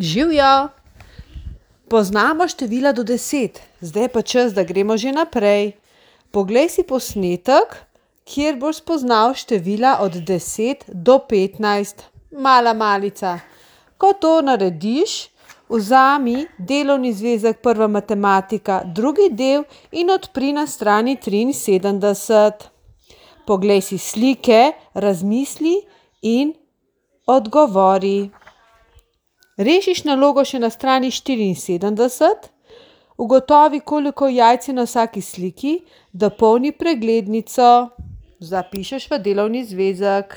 Živjo! Poznamo števila do 10, zdaj pa čas, da gremo že naprej. Poglej si posnetek, kjer boš spoznal števila od 10 do 15. Mala malica. Ko to narediš, vzami delovni zvezek prva matematika, drugi del in odpri na strani 73. Poglej si slike, razmisli in odgovori. Rešiš nalogo še na strani 74, ugotovi, koliko jajc je na vsaki sliki, dopolni preglednico, zapišeš v delovni zvezek.